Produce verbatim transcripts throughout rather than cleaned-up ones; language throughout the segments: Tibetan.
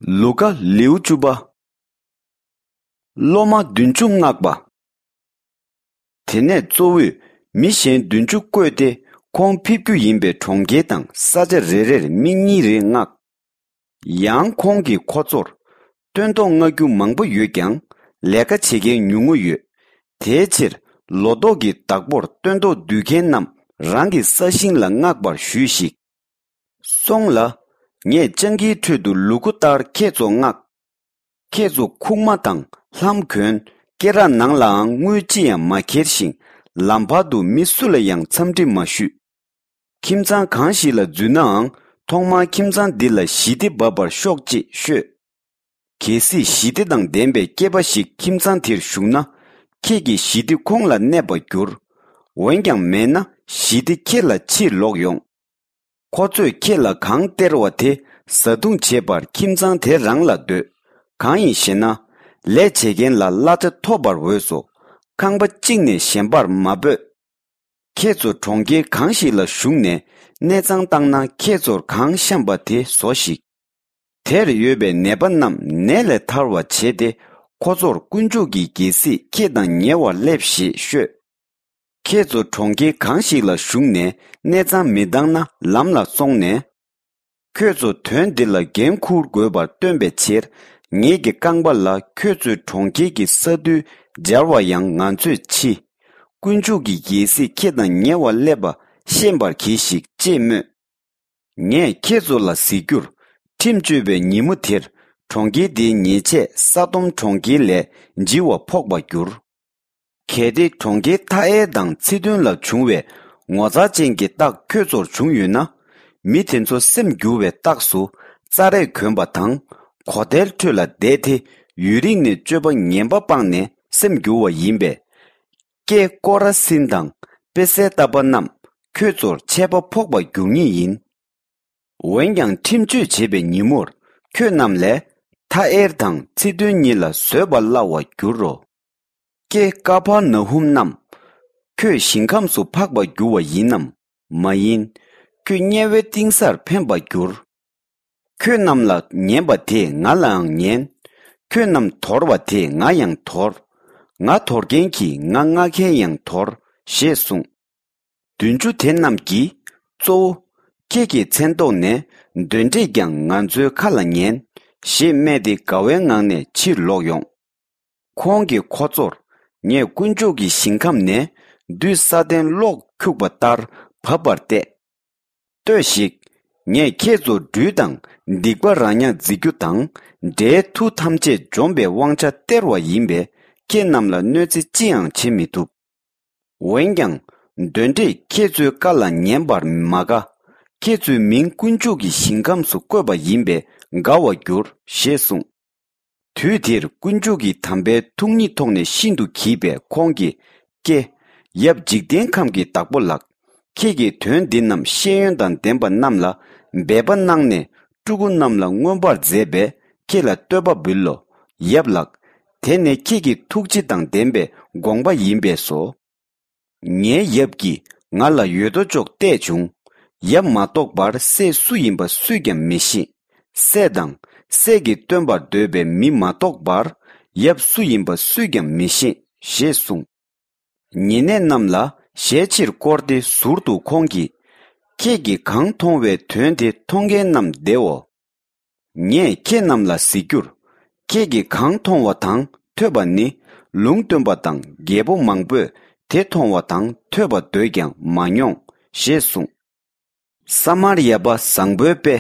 ལུ་ཀ་ལེའུ་བཅུ་པ། སློབ་མ་བདུན་ཅུ་མངགས་པ། དེ་ནས་གཙོ་བོས་མི་གཞན་བདུན་ཅུ་བསྐོས་ཏེ་ཁོང་ཕེབས་རྒྱུ་ཡིན་པའི་གྲོང་ཁྱེར་དང་ས་ཆ་རེ་རེར་མི་གཉིས་རེ་མངགས། ཡང་ཁོང་གིས་ཁོ་ཚོར། སྟོན་ཐོག་མངག་རྒྱུ་མང་པོ་ཡོད་ཀྱང་ལས་ཀ་བྱེད་མཁན་ཉུང་ངུ་ཡོད། དེའི་ཕྱིར་ལོ་ཏོག་གི་བདག་པོར་སྟོན་ཐོག་སྡུད་མཁན་རྣམས་རང་གི་ས་ཞིང་ལ་མངགས་པར་ཞུས་ཤིག། སོང་ལ། ངས་སྤྱང་ཀིའི་ཁྲོད་དུ་ལུ་གུ་ལྟར་ཁྱེད་ཚོ་མངགས། ཁྱེད་ཚོ་ཁུག་མ་དང་ལྷམ་གོན། སྐེ་རགས་ནང་ལའང་དངུལ་ཅི་ཡང་མ་འཁྱེར་ཞིང་ལམ་བར་དུ་མི་སུ་ལ་ཡང་འཚམས་འདྲི་མ་ཞུས། ཁྱིམ་ཚང་གང་ཞིག་ལ་འཛུལ་ནའང་ཐོག་མར་ཁྱིམ་ཚང་འདི་ལ་ཞི་བདེ་འབབ་པར་ཤོག་ཅེས་ཤོད། གལ་སྲིད་ཞི་བདེ་དང་ལྡན་པའི་སྐྱེས་པ་ཞིག་ཁྱིམ་ཚང་དེར་ཞུགས་ན། ཁྱེད་ཀྱི་ཞི་བདེ་ཁོང་ལ་གནས་པར་འགྱུར། འོན་ཀྱང་མེད་ན་ཞི་བདེ་ཁྱེད་ལ་ཕྱིར་ལོག་ཡོང་། ཁོ་ཚོས་ཁྱེད་ལ་གང་སྟེར་བ་དེ་བཟའ་བཏུང་བྱེད་པར་ཁྱིམ་ཚང་དེ་རང་ལ་སྡོད། གང་ཡིན་ཞེ་ན། ལས་བྱེད་མཁན་ལ་གླ་ཆ་ཐོབ་པར་འོས་སོ། ཁང་པ་གཅིག་ནས་གཞན་པར་མ་སྤོས། ཁྱེད་ཚོ་གྲོང་ཁྱེར་གང་ཞིག་ལ་ཞུགས་ནས་གནས་ཚང་བཏང་ན་ཁྱེད་ཚོར་གང་བཤམས་པ་དེ་བཟོ་ཞིག། དེར་ཡོད་པའི་ནད་པ་རྣམས་ནད་ལས་ཐར་བར་བྱས་ཏེ་ཁོ་ཚོར་དཀོན་མཆོག་གི་རྒྱལ་སྲིད་ཁྱེད་དང་ཉེ་བར་སླེབས་ཞེས་ཤོད། ཁྱེད་ཚོ་གྲོང་ཁྱེར་གང་ཞིག་ལ་ཞུགས་ནས་གནས་ཚང་མི་འདང་ན་ལམ་ལ་སོང་ནས། ཁྱོད་ཚོ་དོན་འདི་ལ་འགན་འཁུར་དགོས་པར་སྟོན་པའི་ཕྱིར། ངེད་ཀྱི་རྐང་པ་ལ་ཁྱོད་ཚོའི་གྲོང་ཁྱེར་གྱི་ས་རྡུལ་སྦྱར་བ་ཡང་ང་ཚོས་མཆིས། དཀོན་མཆོག་གི་རྒྱལ་སྲིད་ཁྱེད་དང་ཉེ་བར་སླེབས་པ་ཤེས་པར་གྱིས་ཤིག་ཅེས་སྨོས། ངས་ཁྱེད་ཚོ་ལ་ཟེར་རྒྱུར། ཁྲིམས་གཅོད་པའི་ཉིན་མོ་དེར་གྲོང་ཁྱེར་དེའི་ཉེས་ཆད་ས་དོམ་གྲོང་ཁྱེར་ལས་ལྗིད་པ་ཕོག་པར་འགྱུར། གལ་ཏེ་གྲོང་ཁྱེར་ཐ་ཨེར་དང་ཚི་དོན་ལ་བྱུང་བའི་ངོ་མཚར་ཅན་གྱི་རྟགས་ཁྱོད་ཚོར་བྱུང་ཡོད་ན། མི་དེ་ཚོ་སེམས་འགྱུར་བའི་རྟགས་སུ་རྩྭ་རས་གོན་པ་དང་གོ་དལ་ཁྲོད་ལ་བསྡད་དེ་ཡུན་རིང་ནས་སྤྱོད་པ་ངན་པ་སྤངས་ནས་སེམས་འགྱུར་བ་ཡིན་པས། ཀྱེ་ཀོ་ར་སིན་དང་པེ་སའི་ཏཱ་པ་རྣམས། ཁྱོད་ཚོར་ཆད་པ་ཕོག་པར་འགྱུར་ངེས་ཡིན། འོན་ཀྱང་ཁྲིམས་གཅོད་བྱེད་པའི་ཉིན་མོར་ཁྱོད་རྣམས་ལས་ཐ་ཨེར་དང་ཚི་དོན་གཉིས་ལ་བཟོད་པ་སླ་བར་འགྱུར་རོ། ཀྱེ་ཀ་ཕར་ན་ཧུམ་རྣམས། ཁྱོད་ཞིང་ཁམས་སུ་འཕགས་པར་འགྱུར་བ་ཡིན་ནམ། མ་ཡིན། ཁྱོད་དམྱལ་བའི་གཏིང་སར་འཕེན་པར་འགྱུར། ཁྱོད་རྣམས་ལ་ཉན་པ་དེས་ང་ལའང་ཉན། ཁྱོད་རྣམས་དོར་བ་དེས་ང་ཡང་དོར། ང་དོར་མཁན་གྱིས་ང་མངགས་མཁན་ཡང་དོར། ཞེས་གསུངས། བདུན་ཅུ་དེ་རྣམས་ཀྱིས་གཙོ་བོ། ཁྱེད་ཀྱི་མཚན་ཐོག་ནས་གདོན་འདྲེས་ཀྱང་ང་ཚོའི་ཁ་ལ་ཉན། ཞེས་སྨྲས་ཏེ་དགའ་བའི་ངང་ནས་ཕྱིར་ལོག་ཡོང་། ཁོང་གིས་ཁོ་ཚོར། ངས་དཀོན་མཆོག་གི་ཞིང་ཁམས་ནས་བདུད་ས་ཏན་གློག་འཁྱུག་པ་ལྟར་བབས་པར་བལྟས། ལྟོས་ཤིག། ངས་ཁྱེད་ཚོ་སྦྲུལ་དང་སྡིག་པ་ར་ཉག་འཛིག་རྒྱུ་དང་འདྲེའི་མཐུ་ཐམས་ཅད་འཇོམས་པའི་དབང་ཆ་སྟེར་བ་ཡིན་པས་ཁྱེད་རྣམས་ལ་གནོད་འཚེ་ཅི་ཡང་བྱེད་མི་ཐུབ། འོན་ཀྱང་གདོན་འདྲེས་ཁྱེད་ཚོའི་བཀའ་ལ་ཉན་པར་མ་དགའ། ཁྱེད་ཚོའི་མིང་དཀོན་མཆོག་གི་ཞིང་ཁམས་སུ་བཀོད་པ་ཡིན་པས་དགའ་བར་འགྱུར། ཞེས་གསུངས། དུས་དེར་དཀོན་མཆོག་གི་དམ་པའི་ཐུགས་ཉིད་ཐོག་ནས་ཤིན་ཏུ་གྱིས་པས་ཁོང་གིས། ཀྱེ། ཡབ་འཇིག་རྟེན་ཁམས་ཀྱི་བདག་པོ་ལགས། ཁྱེད་ཀྱིས་དོན་འདི་རྣམས་ཤེས་ཡོན་དང་ལྡན་པ་རྣམས་ལ་འབད་པ་གནང་ནས་ཕྲུ་གུ་རྣམས་ལ་མངོན་པར་མཛད་པས་ཁྱེད་ལ་བསྟོད་པ་འབུལ་ལོ། ཡབ་ལགས། དེ་ནི་ཁྱེད་ཀྱི་ཐུགས་རྗེ་དང་ལྡན་པའི་དགོངས་པ་ཡིན་པས་སོ། ངའི་ཡབ་ཀྱིས་ང་ལ་ཡོད་དོ་ཅོག་གཏད་བྱུང་། ཡབ་མ་གཏོགས་པར་སྲས་སུ་ཡིན་པ་སུས་ཀྱང་མི་ཤེས། སྲས་དང་། སྲས་ཀྱིས་སྟོན་པར་འདོད་པའི་མི་མ་གཏོགས་པར་ཡབ་སུ་ཡིན་པ་སུས་ཀྱང་མི་ཤེས། ཞེས་གསུངས། ཉེ་གནས་རྣམས་ལ་ཞལ་ཕྱིར་བསྐོར་ཏེ་ཟུར་དུ་ཁོང་གིས། ཁྱེད་ཀྱིས་གང་མཐོང་བའི་དོན་དེ་མཐོང་མཁན་རྣམས་བདེའོ། ངས་ཁྱེད་རྣམས་ལ་ཟེར་རྒྱུར། ཁྱེད་ཀྱིས་གང་མཐོང་བ་དང་ཐོས་པ་ནི་ལུང་སྟོན་པ་དང་རྒྱལ་པོ་མང་པོས་དེ་མཐོང་བ་དང་ཐོས་པ་འདོད་ཀྱང་མ་མྱོང་། ཞེས་གསུངས། ས་མར་ཡ་པ་བཟང་པོའི་དཔེ།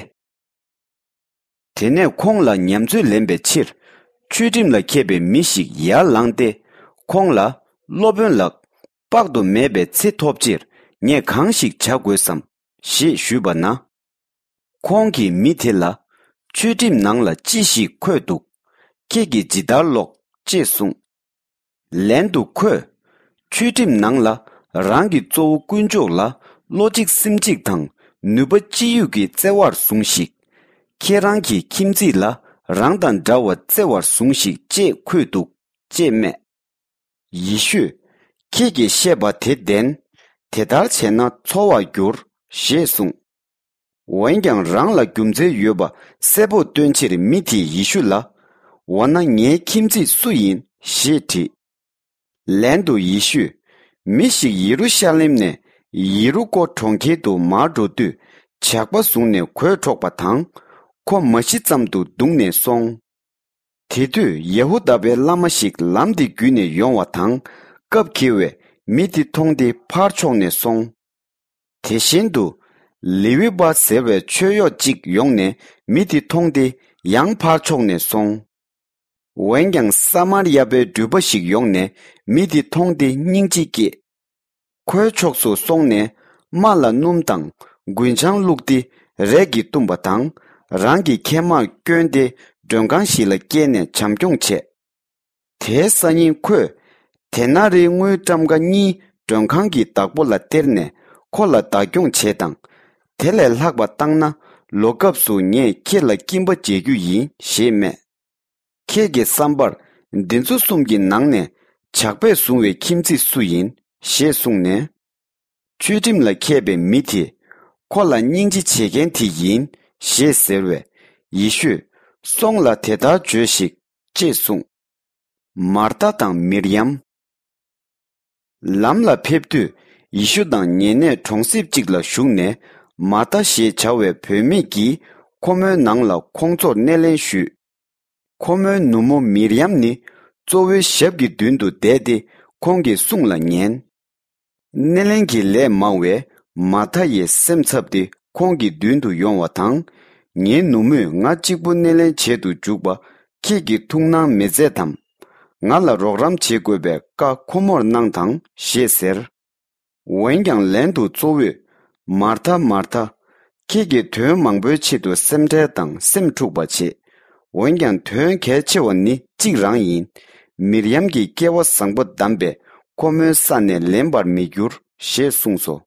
དེ་ནས་ཁོང་ལ་ཉམས་ཚོད་ལེན་པའི་ཕྱིར་ཆོས་ཁྲིམས་ལ་མཁས་པའི་མི་ཞིག་ཡར་ལངས་ཏེ། ཁོང་ལ། སློབ་དཔོན་ལགས། དཔག་ཏུ་མེད་པའི་ཚེ་ཐོབ་ཕྱིར་ངས་གང་ཞིག་བྱ་དགོས་སམ། ཞེས་ཞུས་པ་ན། ཁོང་གིས་མི་དེ་ལ། ཆོས་ཁྲིམས་ནང་ལ་ཅི་ཞིག་འཁོད་འདུག། ཁྱེད་ཀྱིས་ཇི་ལྟར་ཀློག། ཅེས་གསུངས། ལན་དུ་ཁོས། ཆོས་ཁྲིམས་ནང་ལ་རང་གི་གཙོ་བོ་དཀོན་མཆོག་ལ་བློ་གཅིག་སེམས་གཅིག་དང་ནུས་པ་ཅི་ཡོད་ཀྱིས་བརྩེ་བར་ཟུངས་ཤིག། ཁྱེད་རང་གི་ཁྱིམ་མཚེས་ལ་རང་དང་འདྲ་བར་བརྩེ་བར་ཟུངས་ཤིག་ཅེས་འཁོད་འདུག། ཅེས་སྨྲས། ཡེ་ཤུས། ཁྱེད་ཀྱིས་བཤད་པ་དེ་བདེན། དེ་ལྟར་བྱས་ན་འཚོ་བར་འགྱུར། ཞེས་གསུངས། འོན་ཀྱང་རང་ལ་རྒྱུ་མཚན་ཡོད་པ་གསལ་པོར་སྟོན་ཕྱིར་མི་དེས་ཡེ་ཤུ་ལ། འོ་ན་ངའི་ཁྱིམ་མཚེས་སུ་ཡིན་ཞེས་དྲིས། ལན་དུ་ཡེ་ཤུས། མི་ཞིག་ཡེ་རུ་ཤ་ལེམ་ནས་ཡེ་རུ་ཀོ་གྲོང་ཁྱེར་དུ་མར་འགྲོ་དུས་ཇག་པ་བཟུང་ནས་གོས་འཕྲོག་པ་དང་། ཁོ་མ་ཤི་ཙམ་དུ་བརྡུངས་ནས་སོང་། དེ་དུས་ཡ་ཧུ་དཱ་པའི་བླ་མ་ཞིག་ལམ་དེ་བརྒྱུད་ནས་ཡོང་བ་དང་སྐབས་འཁེལ་བས་མི་དེ་མཐོང་སྟེ་ཕར་ཕྱོགས་ནས་སོང་། དེ་བཞིན་དུ། ལེ་ཝི་པ་ཟེར་བའི་མཆོད་གཡོག་ཅིག་ཡོང་ནས་མི་དེ་མཐོང་སྟེ་ཡང་ཕར་ཕྱོགས་ནས་སོང་། འོན་ཀྱང་ས་མར་ཡ་པའི་འགྲུལ་པ་ཞིག་ཡོང་ནས་མི་དེ་མཐོང་སྟེ་སྙིང་རྗེ་སྐྱེས། ཁོའི་ཕྱོགས་སུ་སོང་ནས་རྨ་ལ་སྣུམ་དང་རྒུན་ཆང་བླུགས་ཏེ་རས་ཀྱིས་བཏུམས་པ་དང་རང་གི་ཁལ་མར་བསྐྱོན་ཏེ་མགྲོན་ཁང་ཞིག་ལ་བསྐྱལ་ནས་བྱམས་སྐྱོང་བྱས། དེའི་སང་ཉིན་ཁོས་དེ་ན་རེའི་དངུལ་ཊམ་ཀ་གཉིས་མགྲོན་ཁང་གི་བདག་པོ་ལ་སྟེར་ནས་ཁོ་ལ་བདག་སྐྱོང་བྱེད་དང་། དེ་ལས་ལྷག་པ་བཏང་ན་ལོ་སྐབས་སུ་ངས་ཁྱེད་ལ་སྐྱིན་པ་འཇལ་རྒྱུ་ཡིན་ཞེས་སྨྲས། ཁྱེད་ཀྱི་བསམ་པར་འདི་ཚོ་གསུམ་གྱི་ནང་ནས་ཇག་པས་བཟུང་བའི་ཁྱིམ་མཚེས་སུ་ཡིན་ཞེས་གསུངས་ནས། ཆོས་ཁྲིམས་ལ་མཁས་པའི་མི་དེས་ཁོ་ལ་སྙིང་རྗེ་བྱེད་མཁན་དེ་ཡིན་ཞེས་ཟེར་བས་ཡེ་ཤུས་སོང་ལ་དེ་ལྟར་བརྗོད་ཤིག་ཅེས་གསུངས། མར་ཐ་དང་མིར་ཡམ། ལམ་ལ་ཕེབས་དུས་ཡེ་ཤུ་དང་ཉེ་གནས་གྲོང་གསེབ་ཅིག་ལ་བཞུགས་ནས་མར་ཐ་ཞེས་བྱ་བའི་བུད་མེད་ཀྱིས་ཁོ་མོའི་ནང་ལ་ཁོང་ཚོར་སྣེ་ལེན་ཞུས། ཁོ་མོའི་ནུ་མོ་མིར་ཡམ་ནི་གཙོ་བོའི་ཞབས་ཀྱི་མདུན་དུ་བསྡད་དེ་ཁོང་གི་གསུང་ལ་ཉན། སྣེ་ལེན་གྱི་ལས་མང་བས་མར་ཐ་ཡི་སེམས་འཚབ་སྟེ་ཁོང་གི་མདུན་དུ་ཡོང་བ་དང་། ངའི་ནུ་མོས་ང་གཅིག་པུ་སྣེ་ལེན་བྱེད་དུ་འཇུག་པ་ཁྱེད་ཀྱིས་ཐུགས་སྣང་མི་མཛད་དམ། ང་ལ་རོགས་རམ་བྱེད་དགོས་པའི་བཀའ་ཁོ་མོར་གནང་དང་ཞེས་ཟེར། འོན་ཀྱང་ལན་དུ་གཙོ་བོས། མར་ཐ་མར་ཐ། ཁྱེད་ཀྱིས་དོན་མང་པོའི་ཆེད་དུ་སེམས་ཁྲལ་དང་སེམས་འཁྲུགས་པ་བྱེད། འོན་ཀྱང་དོན་གལ་ཆེ་བ་ནི་གཅིག་རང་ཡིན། མིར་ཡམ་གྱི་སྐལ་བ་བཟང་པོ་བསྡམས་པས་ཁོ་མོའི་ས་ནས་ལེན་པར་མི་འགྱུར་ཞེས་གསུངས་སོ།